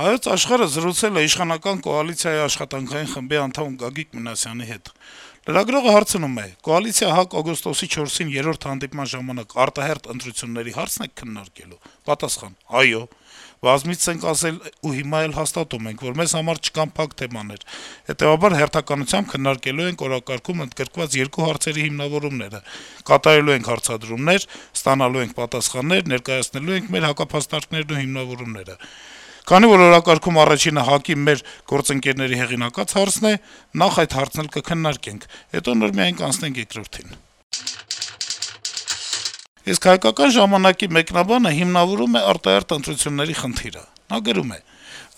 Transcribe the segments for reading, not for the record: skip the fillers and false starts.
Հայոց աշխարհը զրուցել է իշխանական կոալիցիայի աշխատանքային խմբի անդամ Գագիկ Մինասյանի հետ։ Լրագրողը հարցնում է. կոալիցիա ՀԱԿ օգոստոսի 4-ին երրորդ հանդիպման ժամանակ արտահերթ ընտրությունների հարցն եք քննարկելու։ Պատասխան. այո, բազմիցս ենք ասել ու հիմա էլ հաստատում ենք, որ մեզ համար չկան փակ թեմաներ։ Հետեւաբար հերթականությամբ քննարկելու ենք օրակարգում ընդգրկված երկու հարցերի հիմնավորումները, կատարելու ենք հարցադրումներ, ստանալու ենք պատասխաններ, ներկայացնելու ենք մեր հակափաստարկներն ու հիմնավորումները։ Քանի որ օրակարգում առաջինը ՀԱԿ-ի մեր գործընկերների հեղինակած հարցն է, նախ այդ հարցն էլ կքննարկենք, հետո նոր միայն կանցնենք երկրորդին։ Իսկ հայկական ժամանակի մեկնաբանը հիմնավորում է արտահերթ ընտրությունների խնդիրը։ Նա գրում է.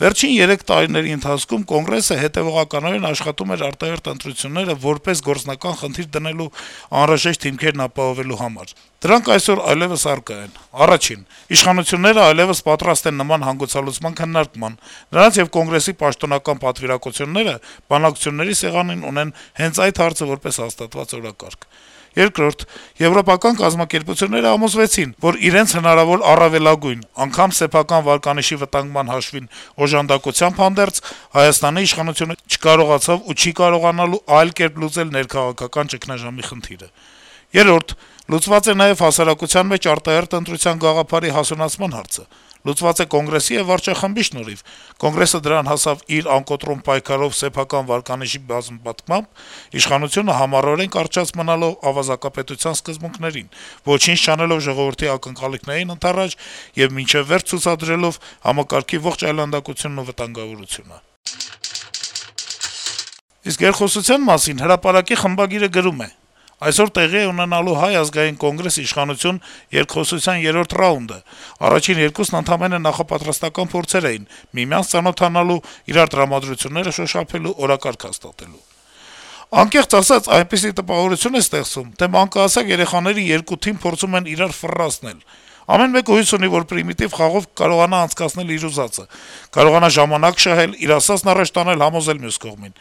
Վերջին 3 տարիների ընթացքում Կոնգրեսը հետևողականորեն աշխատում էր արտահերթ ընտրությունները որպես գործնական խնդիր դնելու անհրաժեշտ հիմքերն ապահովելու համար։ Դրանք այսօր այլեւս առկա են։ Առաջին. իշխանությունները այլեւս պատրաստ են նման հանգուցալուծման քննարկման։ Նրանց եւ Կոնգրեսի պաշտոնական պատվիրակությունները բանակցությունների սեղանին ունեն հենց այդ հարցը որպես հաստատված օրակարգ։ Երկրորդ, եվրոպական կազմակերպությունները համոզվեցին, որ իրենց հնարավոր առավելագույն, անգամ սեփական վարկանիշի վտանգման հաշվին օժանդակությամբ հանդերձ Հայաստանի իշխանությունը չկարողացավ ու չի կարողանալու այլ կերպ լուծել ներքաղաքական ճգնաժամի խնդիրը։ Երրորդ, լուծված է նաեւ հասարակության մեջ արտահերթ ընտրության գաղափարի հասունացման հարցը։ Լուծված է Կոնգրեսի եւ վարչախմբի շնորհիվ։ Կոնգրեսը դրան հասավ իր անկոտրում պայքարով սեփական վարկանիշի բազմապատկմամբ, իշխանությունը համառորեն կարճած մնալով ավազակապետության սկզբունքներին, ոչինչ չանելով ժողովրդի ակնկալիքներին ընդառաջ եւ մինչեւ վերջ ցուցադրելով համակարգի ողջ այլանդակությունն ու վտանգավորությունը։ Իսկ երկխոսության մասին հրապարակի խմբագիրը գրում է. Այսօր տեղի է ունենալու Հայ ազգային կոնգրես իշխանություն երկխոսության երրորդ ռաունդը։ Առաջին երկուսն ընդամենը նախապատրաստական փորձեր էին՝ միմյանց ծանոթանալու, իրար տրամադրությունները շոշափելու, օրակարգ հաստատելու։ Անկեղծ ասած, այնպիսի տպավորություն է ստեղծում, թե մանկահասակ երեխաների երկու թիմ փորձում են իրար ֆռռացնել։ Ամեն մեկը հույս ունի, որ պրիմիտիվ խաղով կարողանա անցկացնել իր ուզածը, կարողանա ժամանակ շահել, իր ասածն առաջ տանել, համոզել մյուս կողմին։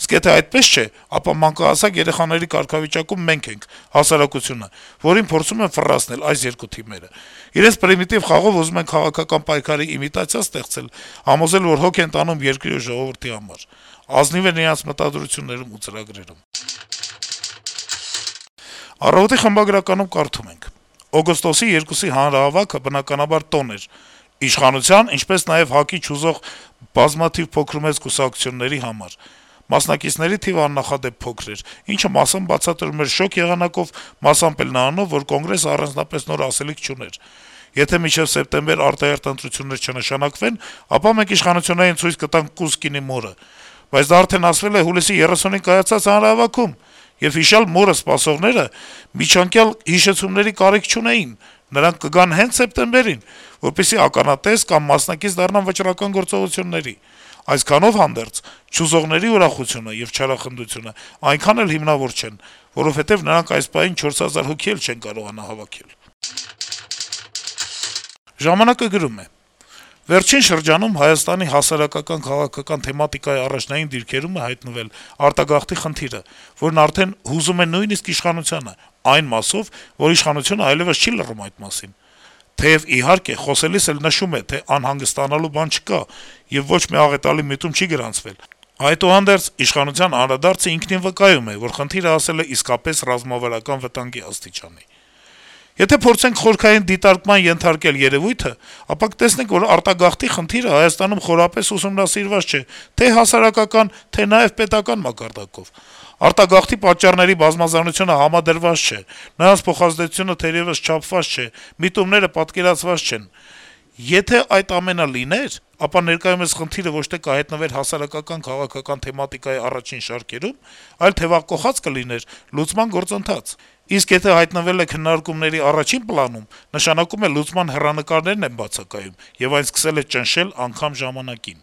Իսկ եթե այդպես չէ, ապա մանկահասակ երեխաների կարգավիճակում մենք ենք, հասարակությունը, որին փորձում են ֆռռացնել այս երկու թիմերը։ Իրենց պրիմիտիվ խաղով ուզում են քաղաքական պայքարի իմիտացիա ստեղծել, համոզել, որ հոգ են տանում երկրի ու ժողովրդի համար։ Ազնիվ են իրենց մտադրություններում ու ծրագրերում։ Առավոտի խմբագրականում կարդում ենք. օգոստոսի 2-ի հանրահավաքը բնականաբար տոն էր իշխանության, ինչպես նաեւ ՀԱԿ-ի չուզող բազմաթիվ փոքրումեծ կուսակցությունների համար։ Մասնակիցների թիվը աննախադեպ փոքր էր, ինչը մասամբ բացատրում էր շոկ եղանակով, մասամբ էլ նրանով, որ Կոնգրեսը առանձնապես նոր ասելիք չուներ։ Եթե մինչեւ սեպտեմբեր արտահերթ ընտրություններ չնշանակվեն, ապա մենք իշխանություններին ցույց կտանք Կուսկինի մորը։ Բայց դա արդեն ասվել է հուլիսի 30-ին կայացած հանրահավաքում, եւ հիշյալ մորը սպասողները միջանկյալ հիշեցումների կարիք չունեին։ Նրանք կգան հենց սեպտեմբերին, որպեսզի ականատես կամ մասնակից դառնան վճռական գործողությունների։ Այսքանով հանդերձ չուզողների ուրախությունը եւ չարախնդությունը այնքան էլ հիմնավոր չեն, որովհետեւ նրանք այս պահին 4000 հոգի էլ չեն կարողանա հավաքել։ Ժամանակը գրում է. Վերջին շրջանում Հայաստանի հասարակական քաղաքական թեմատիկայի առաջնային դիրքերում է հայտնվել արտագաղթի խնդիրը, որն արդեն հուզում է նույնիսկ իշխանությանը, այն մասով, որ իշխանությունը այլեւս չի լռում այդ մասին։ Թեեւ իհարկե խոսելիս էլ նշում է, թե անհանգստանալու բան չկա եւ ոչ մի աղետալի միտում չի գրանցվել։ Այդուհանդերձ իշխանության անդրադարձը ինքնին վկայում է, որ խնդիրը հասել է իսկապես ռազմավարական վտանգի աստիճանի։ Եթե փորձենք խորքային դիտարկման ենթարկել երևույթը, ապա կտեսնենք, որ արտագաղթի խնդիրը Հայաստանում խորապես ուսումնասիրված չէ, թե հասարակական, թե նաեւ պետական մակարդակով։ Արտագաղթի պատճառների բազմազանությունը համադրված չէ, նրանց փոխազդեցությունը թերևս չափված չէ, միտումները պատկերացված չեն։ Եթե այդ ամենը լիներ, ապա ներկայումս խնդիրը ոչ թե կհայտնվեր հասարակական քաղաքական թեմատիկայի առաջին շարքերում, այլ թեւակոխած կլիներ լուծման գործընթաց։ Իսկ եթե հայտնվել է քննարկումների առաջին պլանում, նշանակում է լուծման հեռանկարներն են բացակայում եւ այն սկսել է ճնշել անգամ ժամանակին։